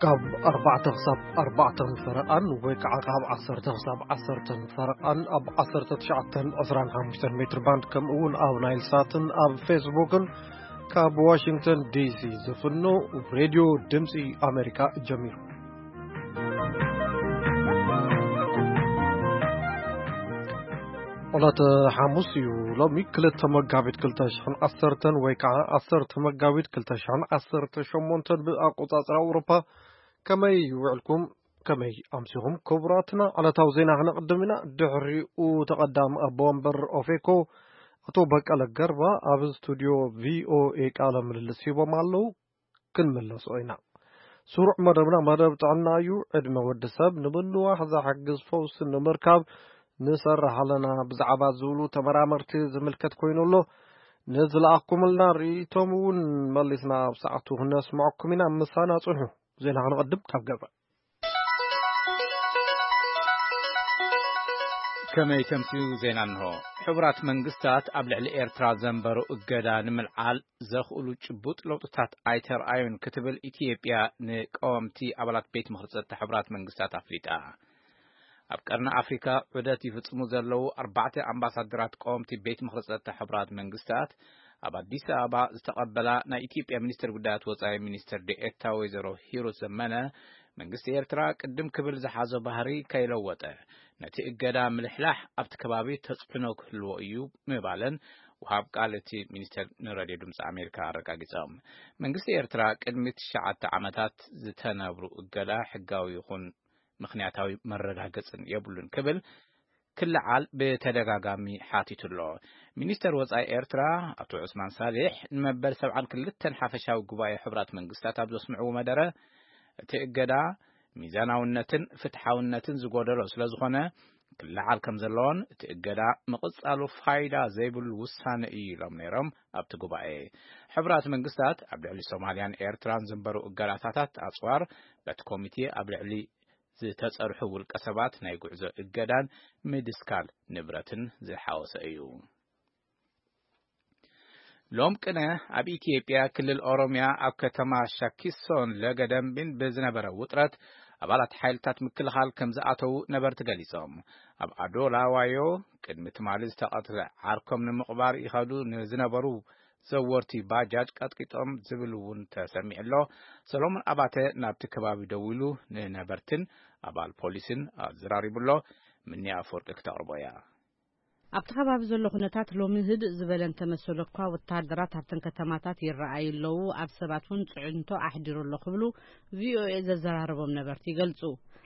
ካብ ኣርባዕተ ክሳብ ኣርባዕተ ፈረቓን ወይ ከዓ ካብ ዓሰርተ ክሳብ ዓሰርተ ፈረቓን ኣብ ዓሰርተ ትሽዓተ ዕስራን ሓሙሽተን ሜትር ባንድ፣ ከምኡ እውን ኣብ ናይል ሳትን ኣብ ፌስቡክን ካብ ዋሽንግተን ዲሲ ዝፍኖ ሬድዮ ድምፂ ኣሜሪካ ጀሚሩ። ዕለተ ሓሙስ እዩ። ሎሚ ክልተ መጋቢት ክልተ ሽሕን ዓሰርተን ወይ ከዓ ዓሰርተ መጋቢት ክልተ ሽሕን ዓሰርተ ሸሞንተን ብኣቆፃፅራ ኣውሮፓ። ከመይ ውዕልኩም? ከመይ ኣምሲኹም? ክቡራትና፣ ዕለታዊ ዜና ክነቕድም ኢና። ድሕሪኡ ተቐዳሚ ኣቦ ወንበር ኦፌኮ ኣቶ በቀለ ገርባ ኣብ ስቱድዮ ቪኦኤ ቃለ ምልልስ ሂቦም ኣለዉ። ክንምለሶ ኢና። ስሩዕ መደብና መደብ ጥዕና እዩ። ዕድመ ወዲ ሰብ ንምንዋሕ ዝሕግዝ ፈውሲ ንምርካብ ንሰርሕ ኣለና ብዛዕባ ዝብሉ ተመራመርቲ ዝምልከት ኮይኑ ኣሎ። ንዝለኣኹምልና ርእይቶም እውን መሊስና ኣብ ሰዓቱ ክነስምዐኩም ኢና። ምሳና ጽንሑ። ዜና ክንቐድም ካብ ገዛ። ከመይ ተምስዩ ዜና እንሆ። ሕቡራት መንግስታት ኣብ ልዕሊ ኤርትራ ዘንበሩ እገዳ ንምልዓል ዘኽእሉ ጭቡጥ ለውጥታት ኣይተርኣዩን ክትብል ኢትዮጵያ ንቀወምቲ ኣባላት ቤት ምኽሪ ጸጥታ ሕቡራት መንግስታት ኣፍሊጣ። ኣብ ቀርኒ ኣፍሪካ ዑደት ይፍጽሙ ዘለዉ ኣርባዕተ ኣምባሳደራት ቀወምቲ ቤት ምኽሪ ጸጥታ ሕቡራት መንግስታት ኣብ ኣዲስ ኣበባ ዝተቐበላ ናይ ኢትዮጵያ ሚኒስትር ጉዳያት ወጻኢ ሚኒስትር ዴኤታ ወይዘሮ ሂሩት ዘመነ፣ መንግስቲ ኤርትራ ቅድም ክብል ዝሓዞ ባህሪ ከይለወጠ ነቲ እገዳ ምልሕላሕ ኣብቲ ከባቢ ተጽዕኖ ክህልዎ እዩ ምባለን ወሃብ ቃል እቲ ሚኒስቴር ንሬድዮ ድምፂ ኣሜሪካ ኣረጋጊጾም። መንግስቲ ኤርትራ ቅድሚ ትሽዓተ ዓመታት ዝተነብሩ እገዳ ሕጋዊ ይኹን ምኽንያታዊ መረጋገጽን የብሉን ክብል ክልዓል ብተደጋጋሚ ሓቲቱ ኣሎ። ሚኒስተር ወጻኢ ኤርትራ ኣቶ ዑስማን ሳሊሕ ንመበል ሰብዓን ክልተን ሓፈሻዊ ጉባኤ ሕቡራት መንግስታት ኣብ ዘስምዕዎ መደረ፣ እቲ እገዳ ሚዛናውነትን ፍትሓውነትን ዝጎደሎ ስለ ዝኾነ ክለዓል ከም ዘለዎን እቲ እገዳ ምቕጻሉ ፋይዳ ዘይብሉ ውሳነ እዩ ኢሎም ነይሮም። ኣብቲ ጉባኤ ሕቡራት መንግስታት ኣብ ልዕሊ ሶማልያን ኤርትራን ዝንበሩ እገዳታታት ኣጽዋር በቲ ኮሚቴ ኣብ ልዕሊ ዝተጸርሑ ውልቀ ሰባት ናይ ጉዕዞ እገዳን ምድስካል ንብረትን ዝሓወሰ እዩ። ሎም ቅነ ኣብ ኢትዮጵያ ክልል ኦሮሚያ ኣብ ከተማ ሻኪሶን ለገደምቢን ብዝነበረ ውጥረት ኣባላት ሓይልታት ምክልኻል ከም ዝኣተዉ ነበርቲ ገሊጾም። ኣብ ኣዶላ ዋዮ ቅድሚ ትማሊ ዝተቐትለ ዓርኮም ንምቕባር ይኸዱ ንዝነበሩ ዘወርቲ ባጃጅ ቀጥቂጦም ዝብል እውን ተሰሚዑ ኣሎ። ሰሎሞን ኣባተ ናብቲ ከባቢ ደዊሉ ንነበርትን ኣባል ፖሊስን ኣዘራሪቡ ኣሎ። ምንያ ኣፈወርቂ ክተቕርቦ እያ። ኣብቲ ከባቢ ዘሎ ኩነታት ሎሚ ህድእ ዝበለ እንተመሰሎ እኳ፣ ወተሃደራት ኣብተን ከተማታት ይረኣዩ ኣለዉ፣ ኣብ ሰባት እውን ጽዕንቶ ኣሕዲሩ ኣሎ ክብሉ ቪኦኤ ዘዘራረቦም ነበርቲ ይገልጹ።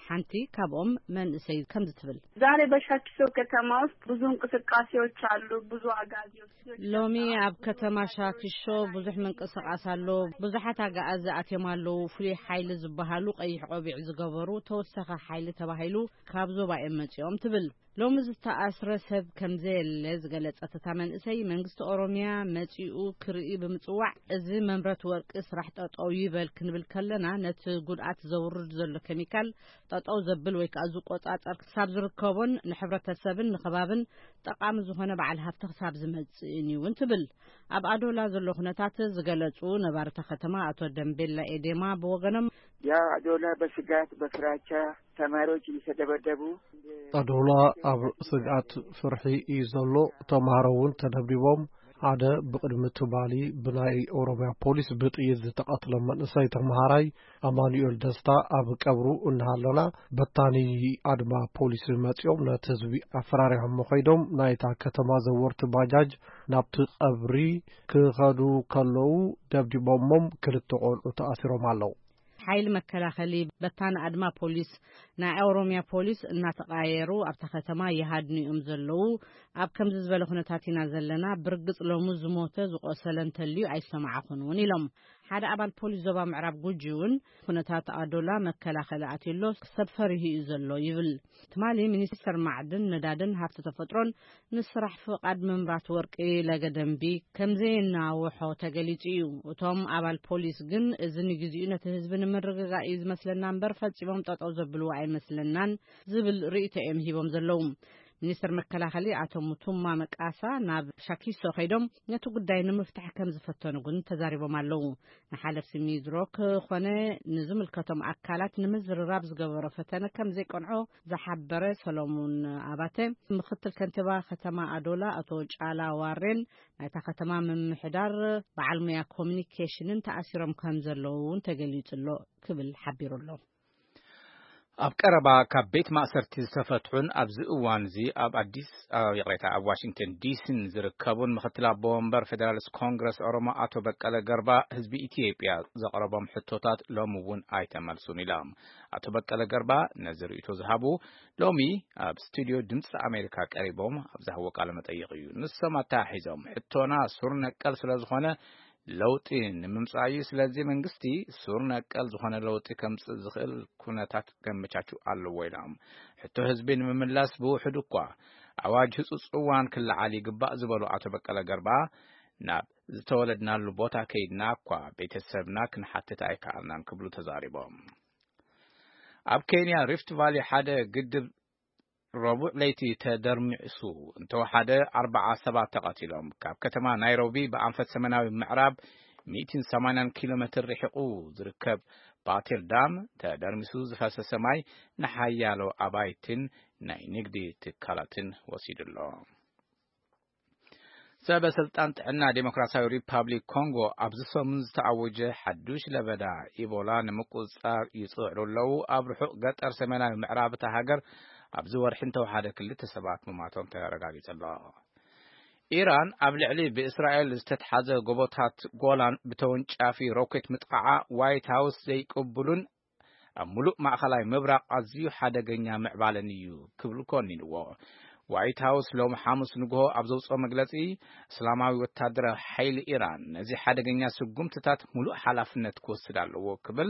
ሓንቲ ካብኦም መንእሰይ ከምዚ ትብል። ዛሬ በሻኪሶ ከተማ ውስጥ ብዙ እንቅስቃሴዎች አሉ። ብዙ አጋዚዎች ልጆች ሎሚ ኣብ ከተማ ሻኪሾ ብዙሕ ምንቅስቃስ ኣሎ። ብዙሓት ኣጋኣዚ ኣትዮም ኣለዉ። ፍሉይ ሓይሊ ዝበሃሉ ቀይሕ ቆቢዕ ዝገበሩ ተወሰኸ ሓይሊ ተባሂሉ ካብ ዞባ እዮም መጺኦም ትብል። ሎሚ ዝተኣስረ ሰብ ከም ዘየለ ዝገለጸት እታ መንእሰይ፣ መንግስቲ ኦሮሚያ መጺኡ ክርኢ ብምጽዋዕ፣ እዚ መምረት ወርቂ ስራሕ ጠጠው ይበል ክንብል ከለና፣ ነቲ ጉድኣት ዘውርድ ዘሎ ኬሚካል ጠጠው ዘብል ወይ ከዓ ዝቆጻጸር ክሳብ ዝርከቦን ንሕብረተሰብን ንከባብን ጠቃሚ ዝኾነ በዓል ሃፍቲ ክሳብ ዝመጽእን እዩ እውን ትብል። ኣብ ኣዶላ ዘሎ ኩነታት ዝገለጹ ነባሪ እታ ከተማ ኣቶ ደምቤላ ኤዴማ ብወገኖም፣ ያው አዶላ በስጋት በፍራቻ ተማሪዎች እየተደበደቡ። ኣዶላ ኣብ ስግኣት ፍርሒ እዩ ዘሎ። ተምሃሮ እውን ተደብዲቦም። ሓደ ብቕድሚ ትማሊ ብናይ ኦሮሚያ ፖሊስ ብጥይት ዝተቐትለ መንእሰይ ተምሃራይ ኣማኑኤል ደስታ ኣብ ቀብሩ እናሃለና በታኒ ኣድማ ፖሊስ መጺኦም ነቲ ህዝቢ ኣፈራሪሖሞ ከይዶም ናይታ ከተማ ዘወርቲ ባጃጅ ናብቲ ቀብሪ ክኸዱ ከለዉ ደብዲቦሞም ክልተ ቆልዑ ተኣሲሮም ኣለዉ። ሓይሊ መከላኸሊ በታኒ ኣድማ ፖሊስ ናይ ኦሮሚያ ፖሊስ እናተቃየሩ ኣብታ ከተማ ይሃድኑ እዮም ዘለዉ። ኣብ ከምዚ ዝበለ ኩነታት ኢና ዘለና። ብርግጽ ሎሚ ዝሞተ ዝቆሰለ እንተልዩ ኣይሰማዕኹን እውን ኢሎም። ሓደ ኣባል ፖሊስ ዞባ ምዕራብ ጉጂ እውን ኩነታት ኣዶላ መከላኸሊ ኣትዩ ኣሎ፣ ሰብ ፈሪሁ እዩ ዘሎ ይብል። ትማሊ ሚኒስተር ማዕድን ነዳድን ሃፍቲ ተፈጥሮን ንስራሕ ፍቓድ ምምራት ወርቂ ለገደምቢ ከም ዘየናውሖ ተገሊጹ እዩ። እቶም ኣባል ፖሊስ ግን እዚ ንግዚኡ ነቲ ህዝቢ ንምርግጋእ እዩ ዝመስለና እምበር ፈጺሞም ጠጠው ዘብልዎ ኣይመስለናን ዝብል ርእይቶ እዮም ሂቦም ዘለዉ። ሚኒስትር መከላኸሊ ኣቶ ሙቱማ መቃሳ ናብ ሻኪሶ ከይዶም ነቲ ጉዳይ ንምፍታሕ ከም ዝፈተኑ እውን ተዛሪቦም ኣለዉ። ንሓለፍቲ ሚድሮክ ኮነ ንዝምልከቶም ኣካላት ንምዝርራብ ዝገበሮ ፈተነ ከም ዘይቀንዖ ዝሓበረ ሰሎሙን ኣባተ፣ ምክትል ከንቲባ ከተማ ኣዶላ ኣቶ ጫላ ዋሬን ናይታ ከተማ ምምሕዳር በዓል ሙያ ኮሚኒኬሽንን ተኣሲሮም ከም ዘለዉ እውን ተገሊጹ ኣሎ ክብል ሓቢሩ ኣሎ። ኣብ ቀረባ ካብ ቤት ማእሰርቲ ዝተፈትሑን ኣብዚ እዋን እዚ ኣብ ኣዲስ ኣበባ፣ ይቕሬታ፣ ኣብ ዋሽንግተን ዲሲን ዝርከቡን ምክትል ኣቦ ወንበር ፌደራሊስት ኮንግረስ ኦሮሞ ኣቶ በቀለ ገርባ ህዝቢ ኢትዮጵያ ዘቕረቦም ሕቶታት ሎሚ እውን ኣይተመልሱን ኢሎም። ኣቶ በቀለ ገርባ ነዚ ርእይቶ ዝሃቡ ሎሚ ኣብ ስቱዲዮ ድምፂ ኣሜሪካ ቀሪቦም ኣብ ዝሃብዎ ቃለ መጠይቕ እዩ። ንሶም ኣተሓሒዞም፣ ሕቶና ሱር ነቀል ስለ ዝኾነ ለውጢ ንምምጻእ እዩ። ስለዚ መንግስቲ ሱር ነቀል ዝኾነ ለውጢ ከምጽእ ዝኽእል ኩነታት ከመቻቹ ኣለዎ ኢሎም። ሕቶ ህዝቢ ንምምላስ ብውሕድ እኳ ኣዋጅ ህጹጽ እዋን ክለዓል ይግባእ ዝበሉ ኣቶ በቀለ ገርባ፣ ናብ ዝተወለድናሉ ቦታ ከይድና እኳ ቤተሰብና ክንሓትት ኣይከኣልናን ክብሉ ተዛሪቦም። ኣብ ኬንያ ሪፍት ቫሊ ሓደ ግድብ ረቡዕ ለይቲ ተደርሚሱ እንተወሓደ ኣርባዓ ሰባት ተቐቲሎም። ካብ ከተማ ናይሮቢ ብኣንፈት ሰሜናዊ ምዕራብ ሚእትን ሰማንያን ኪሎ ሜትር ርሒቑ ዝርከብ ባቴል ዳም ተደርሚሱ ዝፈሰሰ ማይ ንሓያሎ ኣባይትን ናይ ንግዲ ትካላትን ወሲዱ ኣሎ። ሰበ ስልጣን ጥዕና ዴሞክራሲያዊ ሪፓብሊክ ኮንጎ ኣብዚ ሰሙን ዝተኣወጀ ሓዱሽ ለበዳ ኢቦላ ንምቁጽጻር ይጽዕሩ ኣለዉ። ኣብ ርሑቕ ገጠር ሰሜናዊ ምዕራብ እታ ሃገር ኣብዚ ወርሒ እንተወሓደ ክልተ ሰባት ምማቶም ተረጋጊጹ ኣሎ። ኢራን ኣብ ልዕሊ ብእስራኤል ዝተትሓዘ ጎቦታት ጎላን ብተወንጫፊ ሮኬት ምጥቓዓ ዋይት ሃውስ ዘይቅብሉን ኣብ ሙሉእ ማእኸላይ ምብራቕ ኣዝዩ ሓደገኛ ምዕባለን እዩ ክብል ኮኒንዎ። ዋይት ሃውስ ሎም ሓሙስ ንግሆ ኣብ ዘውፅኦ መግለፂ፣ እስላማዊ ወታደራዊ ሓይሊ ኢራን ነዚ ሓደገኛ ስጉምትታት ሙሉእ ሓላፍነት ክወስድ ኣለዎ ክብል፣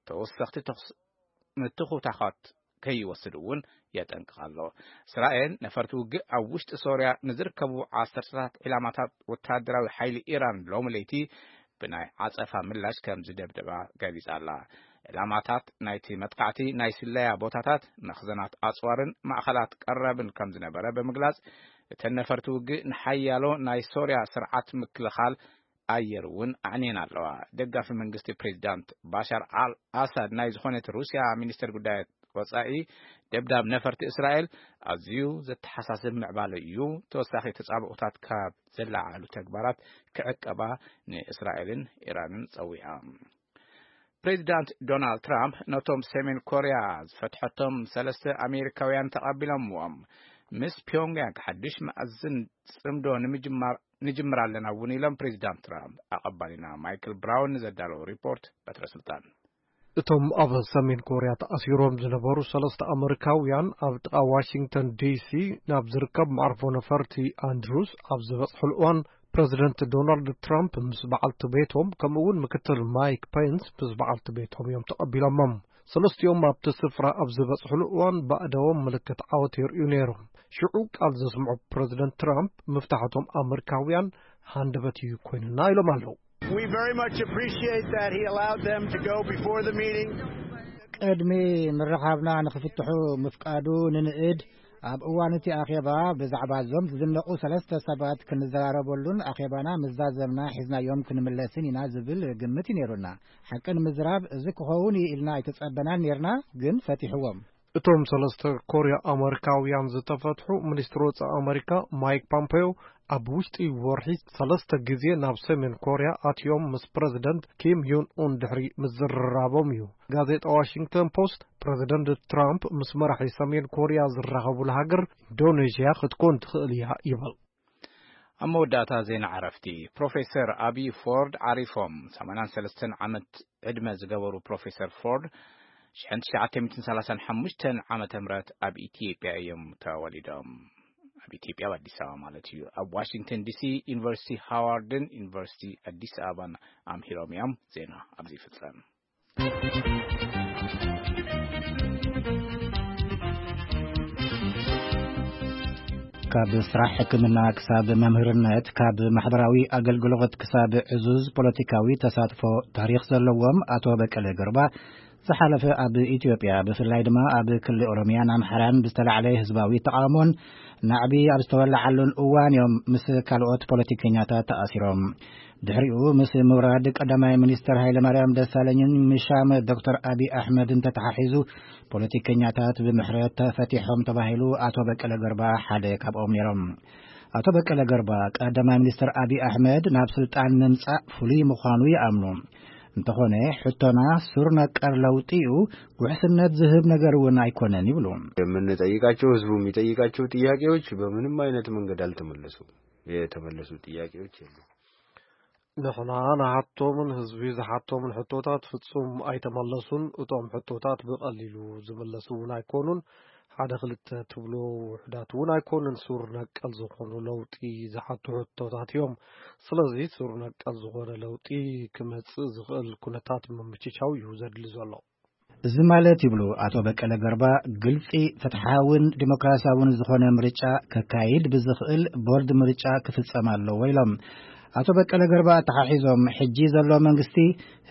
ተወሰኽቲ ተኹስ ምትኹታኻት ከይወስድ እውን የጠንቅቕ ኣሎ። እስራኤል ነፈርቲ ውግእ ኣብ ውሽጢ ሶርያ ንዝርከቡ ዓሰርተታት ዒላማታት ወታደራዊ ሓይሊ ኢራን ሎሚ ለይቲ ብናይ ዓጸፋ ምላሽ ከም ዝደብደባ ገሊጻ ኣላ። ዕላማታት ናይቲ መጥቃዕቲ ናይ ስለያ ቦታታት፣ መኽዘናት ኣጽዋርን ማእኸላት ቀረብን ከም ዝነበረ ብምግላጽ፣ እተን ነፈርቲ ውግእ ንሓያሎ ናይ ሶርያ ስርዓት ምክልኻል ኣየር እውን ኣዕንየን ኣለዋ። ደጋፊ መንግስቲ ፕሬዚዳንት ባሻር ኣል ኣሳድ ናይ ዝኾነት ሩስያ ሚኒስትር ጉዳያት ወጻኢ፣ ደብዳብ ነፈርቲ እስራኤል ኣዝዩ ዘተሓሳስብ ምዕባለ እዩ፣ ተወሳኺ ተጻብኦታት ካብ ዘለዓዕሉ ተግባራት ክዕቀባ ንእስራኤልን ኢራንን ጸዊዓ። ፕሬዚዳንት ዶናልድ ትራምፕ ነቶም ሰሜን ኮርያ ዝፈትሐቶም ሰለስተ ኣሜሪካውያን ተቐቢሎምዎም። ምስ ፒዮንግያንግ ሓድሽ መኣዝን ጽምዶ ንምጅማር ንጅምር ኣለና እውን ኢሎም ፕሬዚዳንት ትራምፕ። ኣቐባሊና ማይክል ብራውን ንዘዳለዎ ሪፖርት በትረ ስልጣን። እቶም ኣብ ሰሜን ኮርያ ተኣሲሮም ዝነበሩ ሰለስተ ኣመሪካውያን ኣብ ጥቓ ዋሽንግተን ዲሲ ናብ ዝርከብ መዓርፎ ነፈርቲ ኣንድሩስ ኣብ ዝበጽሑሉ እዋን፣ ፕረዚደንት ዶናልድ ትራምፕ ምስ በዓልቲ ቤቶም፣ ከምኡ እውን ምክትል ማይክ ፔንስ ምስ በዓልቲ ቤቶም እዮም ተቐቢሎሞም። ሰለስቲኦም ኣብቲ ስፍራ ኣብ ዝበጽሑሉ እዋን፣ ባእዳዎም ምልክት ዓወት የርእዩ ነይሮም። ሽዑ ቃል ዘስምዑ ፕረዚደንት ትራምፕ፣ ምፍታሕቶም ኣመሪካውያን ሃንደበት እዩ ኮይኑና ኢሎም ኣለዉ። We very much appreciate that he allowed them to go before the meeting. ቅድሚ ምርኻብና ንኽፍትሑ ምፍቃዱ ንንእድ። ኣብ እዋን እቲ ኣኼባ ብዛዕባ እዞም ዝድነቑ ሰለስተ ሰባት ክንዘራረበሉን ኣኼባና ምዛዘምና ሒዝናዮም ክንምለስን ኢና ዝብል ግምት እዩ ነይሩና። ሓቂ ንምዝራብ፣ እዚ ክኸውን እዩ ኢልና ኣይተጸበናን ነይርና፣ ግን ፈቲሕዎም። እቶም ሰለስተ ኮርያ ኣመሪካውያን ዝተፈትሑ፣ ሚኒስትር ወጻኢ ኣመሪካ ማይክ ፖምፔዮ ኣብ ውሽጢ ወርሒ ሰለስተ ግዜ ናብ ሰሜን ኮርያ ኣትዮም ምስ ፕረዚደንት ኪም ዮን ኡን ድሕሪ ምዝርራቦም እዩ። ጋዜጣ ዋሽንግተን ፖስት፣ ፕረዚደንት ትራምፕ ምስ መራሒ ሰሜን ኮርያ ዝራኸቡላ ሃገር ኢንዶኔዥያ ክትኮን ትኽእል እያ ይብል። ኣብ መወዳእታ ዜና ዕረፍቲ፣ ፕሮፌሰር ኣብይ ፎርድ ዓሪፎም። ሰማንያን ሰለስተን ዓመት ዕድመ ዝገበሩ ፕሮፌሰር ፎርድ፣ ሽሕን ትሽዓተ ሚእትን ሰላሳን ሓሙሽተን ዓመተ ምህረት ኣብ ኢትዮጵያ እዮም ተወሊዶም። ኣብ ኢትዮጵያ፣ ኣብ ኣዲስ ኣበባ ማለት እዩ። ኣብ ዋሽንግተን ዲሲ ዩኒቨርሲቲ ሃዋርድን ዩኒቨርሲቲ ኣዲስ ኣበባን ኣምሂሮም እዮም። ዜና ኣብዚ ይፍጸም። ካብ ስራሕ ሕክምና ክሳብ መምህርነት፣ ካብ ማሕበራዊ ኣገልግሎት ክሳብ ዕዙዝ ፖለቲካዊ ተሳትፎ ታሪኽ ዘለዎም ኣቶ በቀለ ገርባ፣ ዝሓለፈ ኣብ ኢትዮጵያ፣ ብፍላይ ድማ ኣብ ክልል ኦሮሚያን ኣምሓራን ብዝተላዕለ ህዝባዊ ተቓውሞን ናዕቢ ኣብ ዝተወለዓሉን እዋን እዮም ምስ ካልኦት ፖለቲከኛታት ተኣሲሮም። ድሕሪኡ ምስ ምውራድ ቀዳማይ ሚኒስትር ሃይለማርያም ደሳለኝን ምሻም ዶክተር ኣቢ ኣሕመድን ተተሓሒዙ፣ ፖለቲከኛታት ብምሕረት ተፈቲሖም ተባሂሉ ኣቶ በቀለ ገርባ ሓደ ካብኦም ነይሮም። ኣቶ በቀለ ገርባ፣ ቀዳማይ ሚኒስትር ኣቢ ኣሕመድ ናብ ስልጣን ምምጻእ ፍሉይ ምዃኑ ይኣምኑ። እንተኾነ፣ ሕቶና ሱር ነቀር ለውጢ እዩ፣ ውሕስነት ዝህብ ነገር እውን ኣይኮነን ይብሉ። የምንጠይቃቸው፣ ህዝቡ የሚጠይቃቸው ጥያቄዎች በምንም አይነት መንገድ አልተመለሱም። የተመለሱ ጥያቄዎች የሉም። ንሕና ንሓቶምን ህዝቢ ዝሓቶምን ሕቶታት ፍጹም ኣይተመለሱን። እቶም ሕቶታት ብቐሊሉ ዝምለሱ እውን ኣይኮኑን። ሓደ ክልተ ትብሎ ውሑዳት እውን ኣይኮኑን። ሱር ነቀል ዝኾኑ ለውጢ ዝሓቱ ሕቶታት እዮም። ስለዚ ሱር ነቀል ዝኾነ ለውጢ ክመጽእ ዝኽእል ኩነታት ምምችቻው እዩ ዘድሊ ዘሎ። እዚ ማለት፣ ይብሉ ኣቶ በቀለ ገርባ፣ ግልጺ፣ ፍትሓውን ዲሞክራሲያውን ዝኾነ ምርጫ ከካይድ ብዝኽእል ቦርድ ምርጫ ክፍጸም ኣለዎ ኢሎም። ኣቶ በቀለ ገርባ ኣተሓሒዞም፣ ሕጂ ዘሎ መንግስቲ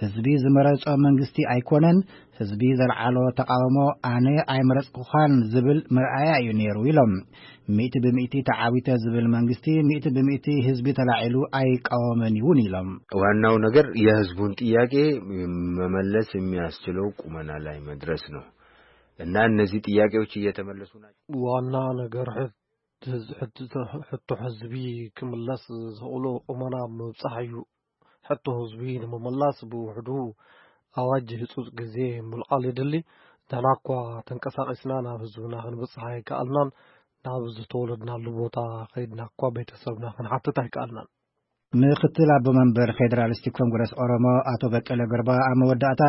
ህዝቢ ዝመረጾ መንግስቲ ኣይኮነን፣ ህዝቢ ዘልዓሎ ተቓውሞ ኣነ ኣይመረጽኩኻን ዝብል መርኣያ እዩ ነይሩ ኢሎም። ሚእቲ ብሚእቲ ተዓዊተ ዝብል መንግስቲ፣ ሚእቲ ብሚእቲ ህዝቢ ተላዒሉ ኣይቃወምን እውን ኢሎም። ዋናው ነገር የህዝቡን ጥያቄ መመለስ የሚያስችለው ቁመና ላይ መድረስ ነው። እና እነዚህ ጥያቄዎች እየተመለሱ ናቸው። ዋና ነገር ሕት-፣ ሕት-፣ ሕቶ ህዝቢ ክምለስ ዝኽእሉ ቁመና ምብጻሕ እዩ። ሕቶ ህዝቢ ንምምላስ ብውሕዱ ኣዋጅ ህጹጽ ግዜ ምልዓል የድሊ። ንሕና እኳ ተንቀሳቒስና ናብ ህዝብና ክንብጽሕ ኣይከኣልናን። ናብ ዝተወለድናሉ ቦታ ከይድና እኳ ቤተሰብና ክንሓትት ኣይከኣልናን። ምክትል ኣቦ መንበር ፌደራሊስቲክ ኮንግረስ ኦሮሞ ኣቶ በቀለ ገርባ ኣብ መወዳእታ፣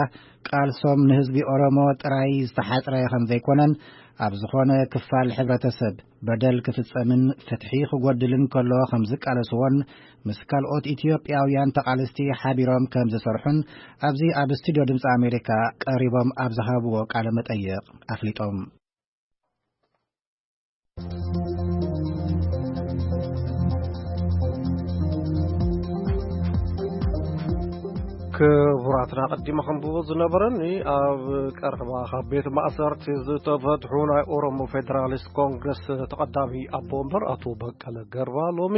ቃልሶም ንህዝቢ ኦሮሞ ጥራይ ዝተሓጽረ ከም ዘይኮነን፣ ኣብ ዝኾነ ክፋል ሕብረተሰብ በደል ክፍጸምን ፍትሒ ክጎድልን ከሎ ከም ዝቃለስዎን፣ ምስ ካልኦት ኢትዮጵያውያን ተቓለስቲ ሓቢሮም ከም ዝሰርሑን ኣብዚ ኣብ ስቱድዮ ድምፂ ኣሜሪካ ቀሪቦም ኣብ ዝሃብዎ ቃለ መጠይቕ ኣፍሊጦም። ክቡራትና፣ ቀዲመ ከንብቦ ዝነበረኒ፣ ኣብ ቀረባ ካብ ቤት ማእሰርቲ ዝተፈትሑ ናይ ኦሮሞ ፌደራሊስት ኮንግረስ ተቐዳሚ ኣቦ ወንበር ኣቶ በቀለ ገርባ ሎሚ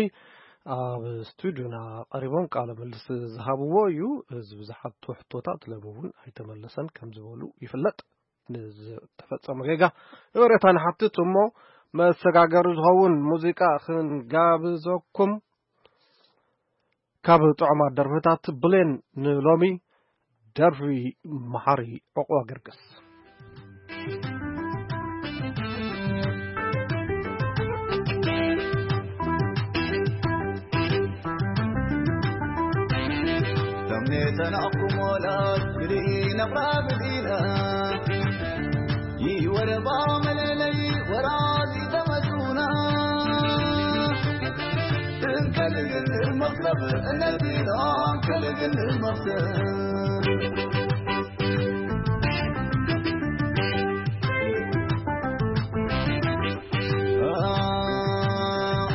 ኣብ ስቱድዮና ቀሪቦም ቃለ ምልስ ዝሃብዎ እዩ። እዚ ብዙሓት ሕቶታት ሎሚ እውን ኣይተመለሰን ከም ዝበሉ ይፍለጥ። ንዝተፈጸመ ጌጋ ይቕሬታ ንሓትት እሞ፣ መሰጋገሪ ዝኸውን ሙዚቃ ክንጋብዘኩም። ካብ ጥዑማት ደርፍታት ብሌን ንሎሚ ደርፊ መሓሪ ዕቑባ ገርግስ። ተምኔተን ኣኩሞላት ክልኢነ ቕራብዲና ይወረባ መለለይ ወራሲ ተመቱና እንከልግን መክሰብ እነዚና እንከልግን መክሰብ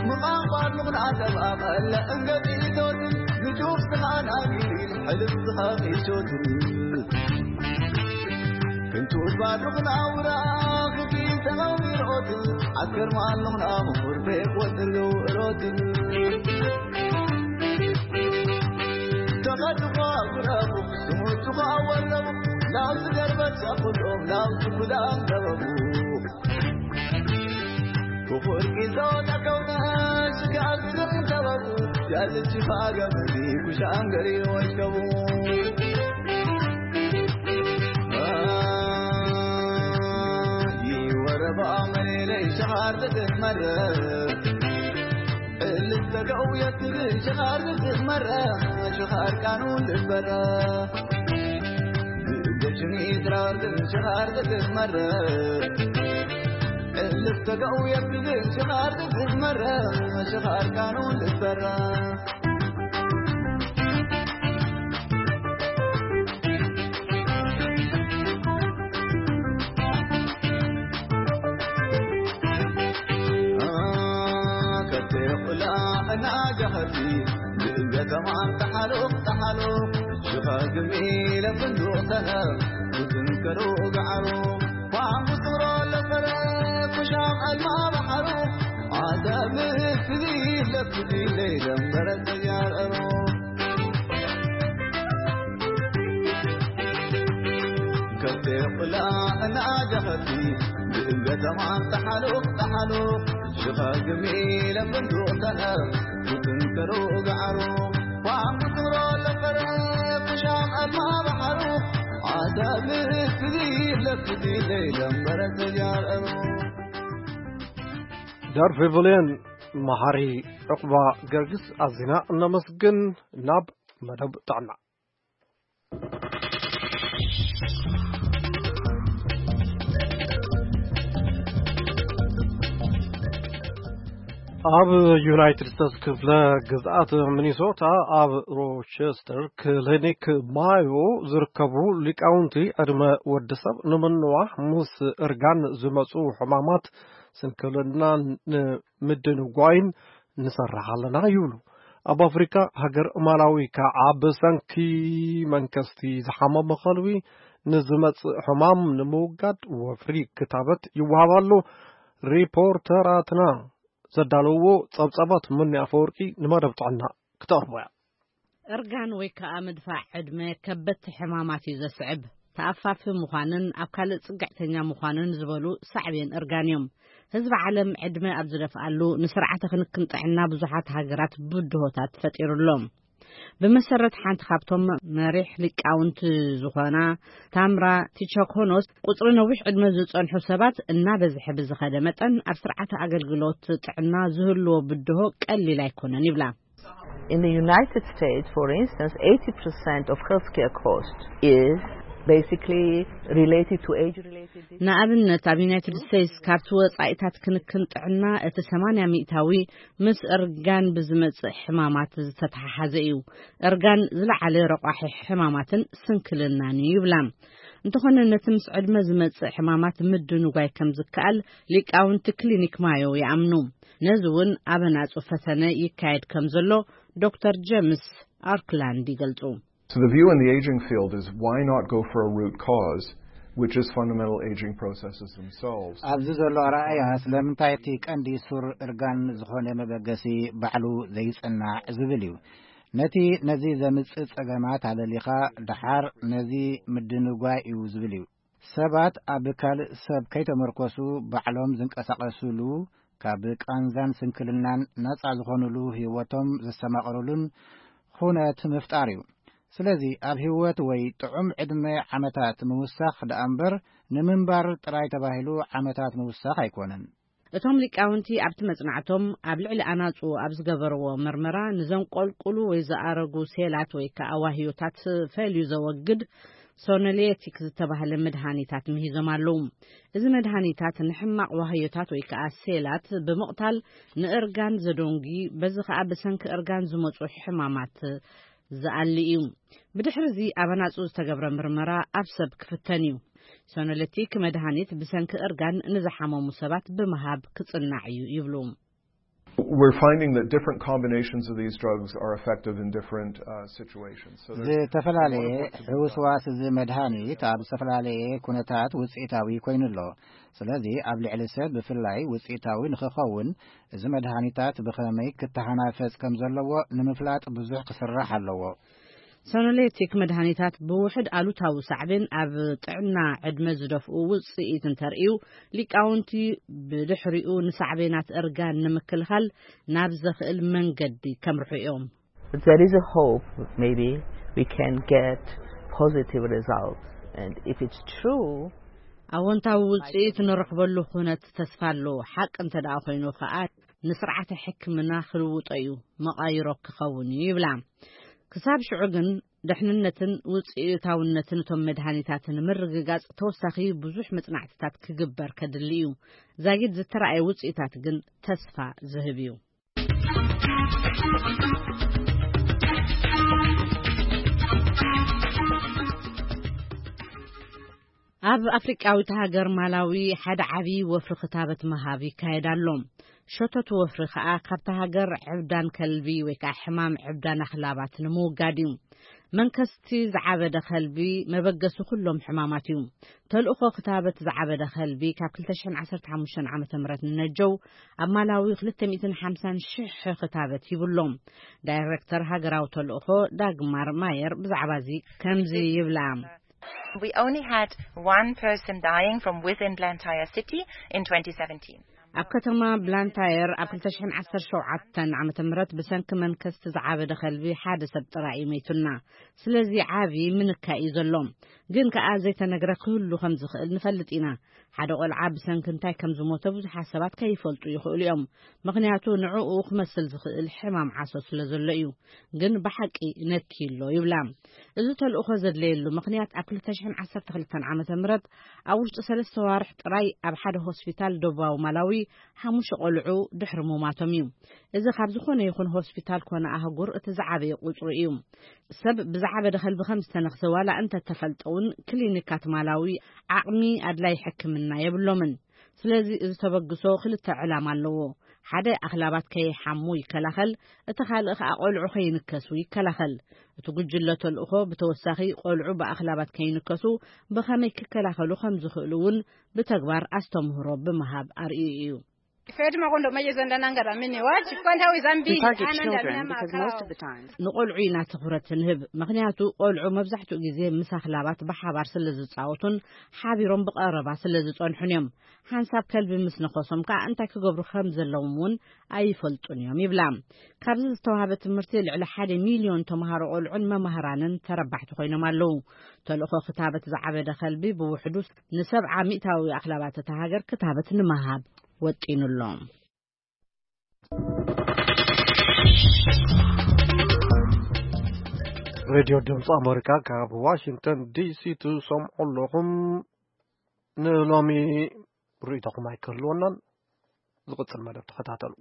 ምቓንቋር ምቕናዕ ዘባቐለ እንገጢቶት ንጁፍ ዝኻና ጊሪል ሕልፍ ዝኻ ቂሾት ክንቱት ባድሩኽና ውራ ክፊል ተቐሚሮት ዓስከር ማሉኽና ምኹር ቤት ወድሉ እሮት ተቐድሞ ጉረቡ ስሙቱኻ ወረቡ ላው ዝገርበቻ ኩሎም ላው ዝጉዳን ገበቡ ክፉር ጊዞ ተከውነ ሽጋግርም ተበቡ ያዝች ፋገመዲ ኩሻንገሪ ወሽከቡ ይወረባ መሌለይ ሸኻር ትትመረ እልተገው የትብል ሸኻር ትትመረ ሸኻር ቃኑን ልበረ ብእገሽኒ ትራርግን ሸኻር ትትመረ እልተገው የትብል ሸኻር ትትመረ ሸኻር ቃኑን ልበረ ትንከሩ ጋዕሩ ፋሙስሮ ለፈረ ኩሻም ኣልማ ባሕሩ ዓሰብ ፍዚ ለፍዚ ለይደንበረ ተጃርአሩ ከብቲ ቁላ እናጀኸቲ ብእምገተማ ተሓሉኽ ተሓሉኽ ሽኸግሚ ለፍንዱቕ ተነር ትንከሩ ጋዕሩ ፋሙስሮ ለፈረ ኩሻም ኣልማ ባሕሩ ዓሰብ ፍዚ ለፍዚ ለይደንበረ ተጃርአሩ ዳር ፌቨልየን መሓሪ ዕቑባ ገርግስ ኣዚና እነመስግን። ናብ መደብ ጥዕና። ኣብ ዩናይትድ ስቴትስ ክፍለ ግዝኣት ሚኒሶታ ኣብ ሮቸስተር ክሊኒክ ማዮ ዝርከቡ ሊቃውንቲ ዕድመ ወዲ ሰብ ንምንዋሕ ምስ እርጋን ዝመፁ ሕማማት ስንክልና ንምድንጓይን ንሰርሕ ኣለና ይብሉ። ኣብ ኣፍሪካ ሃገር ማላዊ ከዓ ብሰንኪ መንከስቲ ዝሓመመ ከልቢ ንዝመፅእ ሕማም ንምውጋድ ወፍሪ ክታበት ይወሃብ ኣሎ። ሪፖርተራትና ዘዳለውዎ ፀብፀባት ምኒ ኣፈወርቂ ንመደብ ጥዕና ክተቕርቦ እያ። እርጋን ወይ ከዓ ምድፋዕ ዕድመ ከበድቲ ሕማማት እዩ ዘስዕብ። ተኣፋፊ ምዃንን ኣብ ካልእ ጽግዕተኛ ምዃንን ዝበሉ ሳዕቤን እርጋን እዮም። ህዝቢ ዓለም ዕድመ ኣብ ዝደፍኣሉ ንስርዓተ ክንክን ጥዕና ብዙሓት ሃገራት ብድሆታት ፈጢሩሎም። ብመሰረት ሓንቲ ካብቶም መሪሕ ሊቃውንቲ ዝኾና ታምራ ቲቸኮኖስ ቁጽሪ ነዊሕ ዕድመ ዝጸንሑ ሰባት እናበዝሐ ብዝኸደ መጠን ኣብ ስርዓተ ኣገልግሎት ጥዕና ዝህልዎ ብድሆ ቀሊል ኣይኮነን ይብላ። In the United States, for instance, eighty percent of healthcare cost is basically related to age-related diseases. ንኣብነት ኣብ ዩናይትድ ስቴትስ ካብቲ ወጻኢታት ክንክን ጥዕና እቲ ሰማንያ ሚእታዊ ምስ እርጋን ብዝመጽእ ሕማማት ዝተተሓሓዘ እዩ። እርጋን ዝለዓለ ረቋሒ ሕማማትን ስንክልናን እዩ ይብላ። እንተኾነ ነቲ ምስ ዕድመ ዝመጽእ ሕማማት ምድንጓይ ከም ዝከኣል ሊቃውንቲ ክሊኒክ ማዮ ይኣምኑ። ነዚ እውን ኣብ ኣናጹ ፈተነ ይካየድ ከም ዘሎ ዶክተር ጀምስ ኣርክላንድ ይገልጹ። So the view in the aging field is why not go for a root cause, which is fundamental aging processes themselves. ኣብዚ ዘሎ ኣረኣእያ ስለምንታይ እቲ ቀንዲ ሱር እርጋን ዝኾነ መበገሲ ባዕሉ ዘይጽናዕ ዝብል እዩ። ነቲ ነዚ ዘምጽእ ጸገማት ኣለሊኻ ደሓር ነዚ ምድንጓይ እዩ ዝብል እዩ። ሰባት ኣብ ካልእ ሰብ ከይተመርኮሱ ባዕሎም ዝንቀሳቐሱሉ፣ ካብ ቃንዛን ስንክልናን ነጻ ዝኾኑሉ ህይወቶም ዘስተማቕሩሉን ኹነት ምፍጣር እዩ። ስለዚ ኣብ ህይወት ወይ ጥዑም ዕድመ ዓመታት ምውሳኽ ደኣ እምበር ንምንባር ጥራይ ተባሂሉ ዓመታት ምውሳኽ ኣይኮነን። እቶም ሊቃውንቲ ኣብቲ መጽናዕቶም ኣብ ልዕሊ ኣናጹ ኣብ ዝገበርዎ መርመራ ንዘንቆልቁሉ ወይ ዝኣረጉ ሴላት ወይ ከኣ ዋህዮታት ፈልዩ ዘወግድ ሶኖሌቲክ ዝተባህለ መድሃኒታት ምሂዞም ኣለዉ። እዚ መድሃኒታት ንሕማቕ ዋህዮታት ወይ ከኣ ሴላት ብምቕታል ንእርጋን ዘደንጉ በዚ ከኣ ብሰንኪ እርጋን ዝመጹ ሕማማት ዝኣሊ እዩ። ብድሕሪ እዚ ኣብ ኣናጹ ዝተገብረ ምርመራ ኣብ ሰብ ክፍተን እዩ። ሶኖሌቲክ መድሃኒት ብሰንኪ እርጋን ንዝሓመሙ ሰባት ብምሃብ ክጽናዕ እዩ ይብሉ። We're finding that different combinations of these drugs are effective in different uh, situations. So there's ዝተፈላለየ ሕውስዋስ እዚ መድሃኒት ኣብ ዝተፈላለየ ኩነታት ውፅኢታዊ ኮይኑ ኣሎ። ስለዚ ኣብ ልዕሊ ሰብ ብፍላይ ውፅኢታዊ ንክኸውን እዚ መድሃኒታት ብኸመይ ክተሃናፈፅ ከም ዘለዎ ንምፍላጥ ብዙሕ ክስራሕ ኣለዎ። ሶኖሌቲክ መድሃኒታት ብውሕድ ኣሉታዊ ሳዕቤን ኣብ ጥዕና ዕድመ ዝደፍኡ ውፅኢት እንተርእዩ፣ ሊቃውንቲ ብድሕሪኡ ንሳዕቤናት እርጋን ንምክልኻል ናብ ዘኽእል መንገዲ ከምርሑ እዮም። There is a hope, maybe we can get positive results. And if it's true, ኣወንታዊ ውፅኢት ንረኽበሉ ኩነት ተስፋ ኣሎ። ሓቂ እንተ ደኣ ኮይኑ ከኣ ንስርዓተ ሕክምና ክልውጦ እዩ፣ መቓይሮ ክኸውን እዩ ይብላ። ክሳብ ሽዑ ግን ደሕንነትን ውፅኢታውነትን እቶም መድሃኒታት ንምርግጋፅ ተወሳኺ ብዙሕ መፅናዕትታት ክግበር ከድሊ እዩ። ዛጊድ ዝተረኣየ ውፅኢታት ግን ተስፋ ዝህብ እዩ። ኣብ ኣፍሪቃዊት ሃገር ማላዊ ሓደ ዓቢ ወፍሪ ክታበት ምሃብ ይካየድ ኣሎ። ሸቶት ወፍሪ ከኣ ካብታ ሃገር ዕብዳን ከልቢ ወይ ከኣ ሕማም ዕብዳን ኣኽላባት ንምውጋድ እዩ። መንከስቲ ዝዓበደ ከልቢ መበገሲ ኩሎም ሕማማት እዩ። ተልእኾ ክታበት ዝዓበደ ከልቢ ካብ ክልተ ሽሕን ዓሰርተ ሓሙሽተን ዓመተ ምህረት ንነጀው ኣብ ማላዊ ክልተ ሚእትን ሓምሳን ሽሕ ክታበት ሂብሎም። ዳይሬክተር ሃገራዊ ተልእኾ ዳግማር ማየር ብዛዕባ እዚ ከምዚ ይብላ። We only had one person dying from within Blantyre city in twenty seventeen. ኣብ ከተማ ብላንታየር ኣብ ክልተ ሽሕን ዓሰርተ ሸውዓተን ዓመተ ምህረት ብሰንኪ መንከስቲ ዝዓበደ ከልቢ ሓደ ሰብ ጥራይ እዩ መይቱና። ስለዚ ዓቢ ምንካይ እዩ ዘሎ። ግን ከኣ ዘይተነግረ ክህሉ ከም ዝኽእል ንፈልጥ ኢና። ሓደ ቆልዓ ብሰንኪ እንታይ ከም ዝሞተ ብዙሓት ሰባት ከይፈልጡ ይኽእሉ እዮም። ምኽንያቱ ንዕኡ ክመስል ዝኽእል ሕማም ዓሶ ስለ ዘሎ እዩ። ግን ብሓቂ ነኪ ኣሎ ይብላ። እዚ ተልእኾ ዘድለየሉ ምኽንያት ኣብ ክልተ ሽሕን ዓሰርተ ክልተን ዓመተ ምህረት ኣብ ውሽጢ ሰለስተ ዋርሕ ጥራይ ኣብ ሓደ ሆስፒታል ደቡባዊ ማላዊ ሓሙሽተ ቆልዑ ድሕሪ ምማቶም እዩ። እዚ ካብ ዝኾነ ይኹን ሆስፒታል ኮነ ኣህጉር እቲ ዝዓበየ ቁጽሪ እዩ። ሰብ ብዝዓበደ ከልቢ ከም ዝተነኽሰ ዋላ እንተ ተፈልጠ እውን ክሊኒካት ማላዊ ዓቕሚ ኣድላይ ሕክምና የብሎምን። ስለዚ እዚ ተበግሶ ክልተ ዕላማ ኣለዎ። ሓደ ኣኽላባት ከይሓሙ ይከላኸል፣ እቲ ካልእ ከኣ ቆልዑ ከይንከሱ ይከላኸል። እቲ ጉጅለ ተልእኾ ብተወሳኺ ቆልዑ ብኣኽላባት ከይንከሱ ብኸመይ ክከላኸሉ ከም ዝኽእሉ እውን ብተግባር ኣስተምህሮ ብምሃብ ኣርእዩ እዩ። Fedi makondo maye zanda nangara mini wachi kwanda wizambi. We target children because most of the time ንቆልዑ ኢና ትኹረት ንህብ፣ ምኽንያቱ ቆልዑ መብዛሕትኡ ግዜ ምስ ኣኽላባት ብሓባር ስለ ዝጻወቱን ሓቢሮም ብቐረባ ስለ ዝጸንሑን እዮም። ሓንሳብ ከልቢ ምስ ነኸሶም ከኣ እንታይ ክገብሩ ከም ዘለዎም እውን ኣይፈልጡን እዮም ይብላ። ካብዚ ዝተዋህበ ትምህርቲ ልዕሊ ሓደ ሚልዮን ተምሃሮ ቆልዑን መማህራንን ተረባሕቲ ኮይኖም ኣለዉ። ተልእኾ ክታበት ዝዓበደ ከልቢ ብውሕዱ ንሰብዓ ሚእታዊ ኣኽላባት እታ ሃገር ክታበት ንምሃብ ወጢኑ ኣሎ። ሬድዮ ድምፂ ኣሜሪካ ካብ ዋሽንግተን ዲሲ ትሰምዑ ኣለኹም። ንሎሚ ርእይቶኹም ኣይክህልወናን። ዝቕፅል መደብ ተኸታተሉ።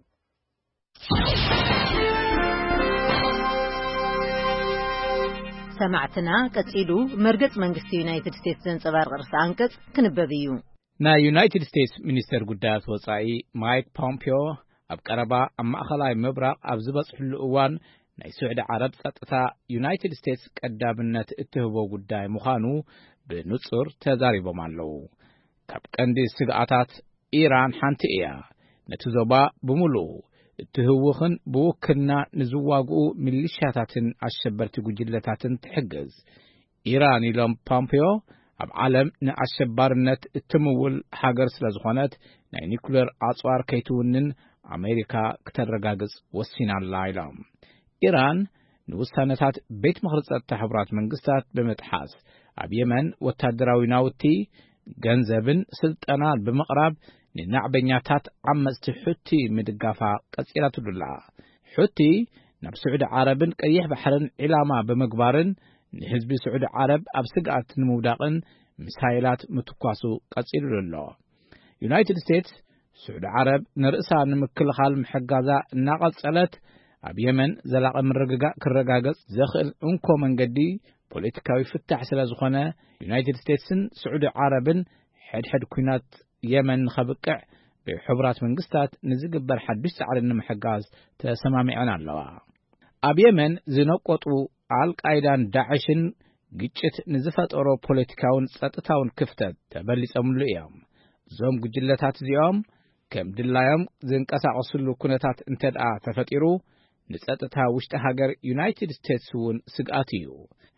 ሰማዕትና፣ ቀጺሉ መርገጽ መንግስቲ ዩናይትድ ስቴትስ ዘንጸባርቕ ርእሰ ኣንቀጽ ክንበብ እዩ። ናይ ዩናይትድ ስቴትስ ሚኒስተር ጉዳያት ወጻኢ ማይክ ፖምፒዮ ኣብ ቀረባ ኣብ ማእኸላይ ምብራቕ ኣብ ዝበጽሕሉ እዋን፣ ናይ ስዑዲ ዓረብ ጸጥታ ዩናይትድ ስቴትስ ቀዳምነት እትህቦ ጉዳይ ምዃኑ ብንጹር ተዛሪቦም ኣለዉ። ካብ ቀንዲ ስግኣታት ኢራን ሓንቲ እያ። ነቲ ዞባ ብምሉኡ እትህውኽን ብውክልና ንዝዋግኡ ሚሊሻታትን ኣሸበርቲ ጉጅለታትን ትሕግዝ። ኢራን፣ ኢሎም ፖምፒዮ፣ ኣብ ዓለም ንኣሸባርነት እትምውል ሃገር ስለ ዝኾነት፣ ናይ ኒኩሌር ኣጽዋር ከይትውንን ኣሜሪካ ክተረጋግጽ ወሲና ኣላ፣ ኢሎም። ኢራን ንውሳነታት ቤት ምኽሪ ጸጥታ ሕቡራት መንግስታት ብምጥሓስ፣ ኣብ የመን ወታደራዊ ናውቲ፣ ገንዘብን ስልጠናን ብምቕራብ፣ ንናዕበኛታት ዓመጽቲ ሑቲ ምድጋፋ ቀጺላትሉ ኣላ። ሑቲ ናብ ስዑዲ ዓረብን ቀይሕ ባሕርን ዒላማ ብምግባርን፣ ንህዝቢ ስዑዲ ዓረብ ኣብ ስግኣት ንምውዳቕን ሚሳይላት ምትኳሱ ቀጺሉሉ ኣሎ። ዩናይትድ ስቴትስ፣ ስዑዲ ዓረብ ንርእሳ ንምክልኻል ምሕጋዛ እናቐጸለት፣ ኣብ የመን ዘላቒ ምርግጋእ ክረጋገጽ ዘኽእል እንኮ መንገዲ ፖለቲካዊ ፍታሕ ስለ ዝኾነ፣ ዩናይትድ ስቴትስን ስዑዲ ዓረብን ሕድሕድ ኲናት የመን ንኸብቅዕ ብሕቡራት መንግስታት ንዝግበር ሓድሽ ጻዕሪ ንምሕጋዝ ተሰማሚዐን ኣለዋ። ኣብ የመን ዝነቆጡ ኣልቃይዳን ዳዕሽን ግጭት ንዝፈጠሮ ፖለቲካውን ጸጥታውን ክፍተት ተበሊጾምሉ እዮም። እዞም ጉጅለታት እዚኦም ከም ድላዮም ዝንቀሳቐስሉ ኩነታት እንተ ደኣ ተፈጢሩ፣ ንጸጥታ ውሽጢ ሃገር ዩናይትድ ስቴትስ እውን ስግኣት እዩ።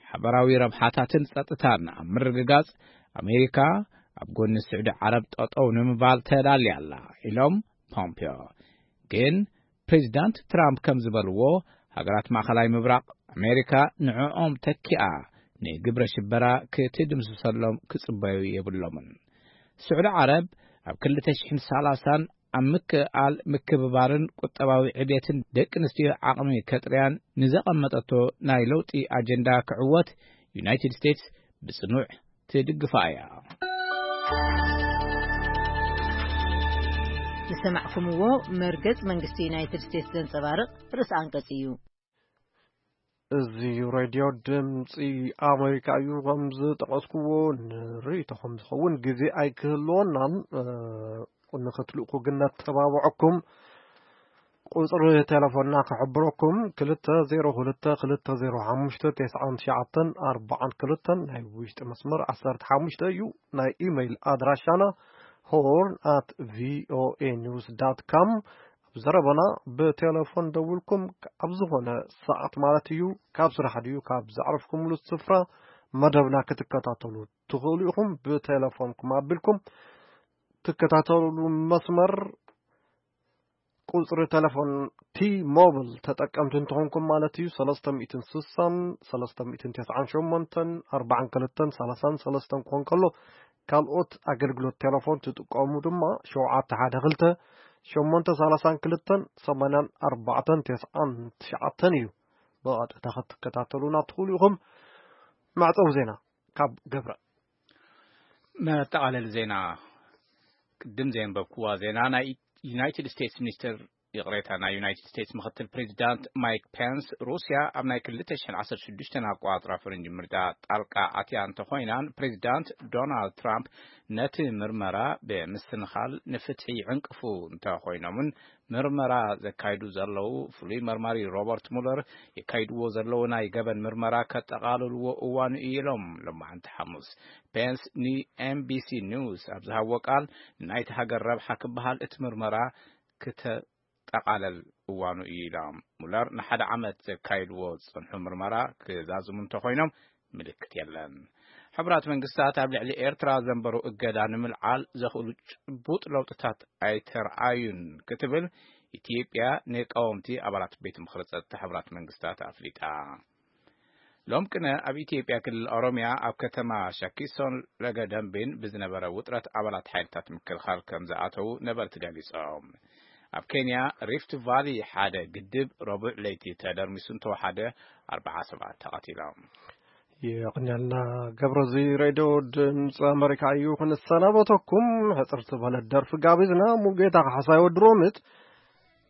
ሓበራዊ ረብሓታትን ጸጥታን ኣብ ምርግጋጽ፣ ኣሜሪካ ኣብ ጎኒ ስዑዲ ዓረብ ጠጠው ንምባል ተዳልያ ኣላ፣ ኢሎም ፖምፒዮ። ግን ፕሬዚዳንት ትራምፕ ከም ዝበልዎ፣ ሃገራት ማእኸላይ ምብራቕ ኣሜሪካ ንዕኦም ተኪኣ ንግብረ ሽበራ ክትድምስሰሎም ክጽበዩ የብሎምን። ስዑዲ ዓረብ ኣብ ክልተ ሽሕን ሰላሳን ኣብ ምክእኣል ምክብባርን ቁጠባዊ ዕብየትን ደቂ ኣንስትዮ ዓቕሚ ከጥርያን ንዘቐመጠቶ ናይ ለውጢ ኣጀንዳ ክዕወት ዩናይትድ ስቴትስ ብጽኑዕ ትድግፋ እያ። ዝሰማዕኩምዎ መርገጽ መንግስቲ ዩናይትድ ስቴትስ ዘንጸባርቕ ርእሰ ኣንቀጽ እዩ። እዚ ሬድዮ ድምፂ ኣሜሪካ እዩ። ከም ዝጠቐስኩዎ ንርእይቶኹም ዝኸውን ግዜ ኣይክህልወናን፣ እ፣ ንኽትልእኩ ግን ነተባብዐኩም። ቁጽሪ ቴሌፎንና ክሕብረኩም፣ ክልተ ዜሮ ክልተ ክልተ ዜሮ ሓሙሽተ ተስዓን ትሽዓተን ኣርባዓን ክልተን ናይ ውሽጢ መስመር ዓሰርተ ሓሙሽተ እዩ። ናይ ኢሜይል ኣድራሻና ሆርን ኣት ቪኦኤ ኒውስ ዳት ካም። ኣብ ዘረባና ብቴሌፎን ደውልኩም ኣብ ዝኾነ ሰዓት ማለት እዩ፣ ካብ ስራሕ ድዩ ካብ ዘዕረፍኩምሉ ስፍራ መደብና ክትከታተሉ ትኽእሉ ኢኹም። ብቴሌፎንኩም ኣቢልኩም ትከታተሉ መስመር ቁጽሪ ቴሌፎን ቲ ሞብል ተጠቀምቲ እንተኾንኩም ማለት እዩ፣ ሰለስተ ሚእትን ስሳን ሰለስተ ሚእትን ተስዓን ሸሞንተን ኣርባዓን ክልተን ሰላሳን ሰለስተን ክኾን ከሎ፣ ካልኦት ኣገልግሎት ቴሌፎን ትጥቀሙ ድማ ሸውዓተ ሓደ ክልተ ሸሞንተ ሰላሳን ክልተን ሰማንያን ኣርባዕተን ተስዓን ትሽዓተን እዩ። ብቐጥታ ክትከታተሉና ትኽእሉ ኢኹም። መዕጸዊ ዜና ካብ ገብረ። መጠቓለሊ ዜና። ቅድም ዘንበብኩዋ ዜና፣ ናይ ዩናይትድ ስቴትስ ሚኒስትር፣ ይቕሬታ፣ ናይ ዩናይትድ ስቴትስ ምኽትል ፕሬዚዳንት ማይክ ፔንስ፣ ሩስያ ኣብ ናይ ክልተ ሽሕን ዓሰርተ ሽዱሽተን ኣቆጻጽራ ፈረንጂ ምርጫ ጣልቃ ኣትያ እንተኾይናን፣ ፕሬዚዳንት ዶናልድ ትራምፕ ነቲ ምርመራ ብምስንኻል ንፍትሒ ይዕንቅፉ እንተኾይኖምን፣ ምርመራ ዘካይዱ ዘለዉ ፍሉይ መርማሪ ሮበርት ሙለር የካይድዎ ዘለዉ ናይ ገበን ምርመራ ከጠቓልልዎ እዋኑ እዩ ኢሎም። ሎማዓንቲ ሓሙስ ፔንስ ን ኤን ቢ ሲ ኒውስ ኣብ ዝሃብዎ ቃል፣ ናይቲ ሃገር ረብሓ ክበሃል እቲ ምርመራ ክተጠቓለል እዋኑ እዩ ኢሎም። ሙለር ንሓደ ዓመት ዘካይድዎ ዝጸንሑ ምርመራ ክዛዝሙ እንተኾይኖም ምልክት የለን። ሕቡራት መንግስታት ኣብ ልዕሊ ኤርትራ ዘንበሩ እገዳ ንምልዓል ዘኽእሉ ጭቡጥ ለውጥታት ኣይተርኣዩን ክትብል ኢትዮጵያ ንቀወምቲ ኣባላት ቤት ምኽሪ ጸጥታ ሕቡራት መንግስታት ኣፍሊጣ። ሎም ቅነ ኣብ ኢትዮጵያ ክልል ኦሮሚያ ኣብ ከተማ ሻኪሶን ለገደምቢን ብዝነበረ ውጥረት ኣባላት ሓይልታት ምክልኻል ከም ዝኣተዉ ነበርቲ ገሊጾም። ኣብ ኬንያ ሪፍት ቫሊ ሓደ ግድብ ረቡዕ ለይቲ ተደርሚሱ እንተወሓደ ኣርባዓ ሰባት ተቐቲሎም። የቕንያልና ገብረ፣ እዚ ሬድዮ ድምፂ ኣመሪካ እዩ። ክንሰናበተኩም ሕፅር ዝበለት ደርፊ ጋቢዝና። ሙሉጌታ ካሕሳይ ወዲ ሮምት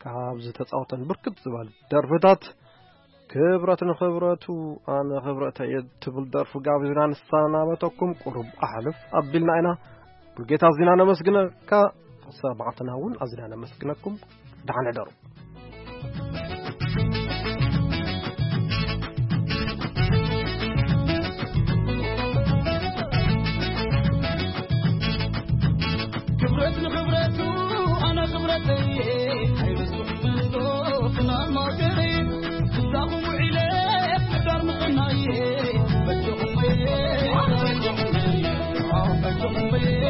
ካብ ዝተፃወተን ብርክት ዝበሉ ደርፍታት ክብረት ንኽብረቱ ኣነ ክብረተ እየ ትብል ደርፊ ጋቢዝና ንሰናበተኩም። ቁሩብ ኣሕልፍ ኣቢልና ኢና። ሙሉጌታ ኣዚና ነመስግነካ፣ ሰማዕትና እውን ኣዚና ነመስግነኩም። ደሓን ሕደሩ። ክብረት ንኽብረቱ ኣነ ክብረተይ ኣይመስልኹምን ዶ ክናን ማእከለይ ክሳኹም ውዒለ ምዳር ምቕናየ በጀኹም በየ በጀኹም በየ በጀኹም በየ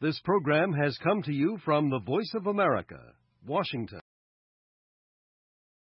This program has come to you from the Voice of America, Washington.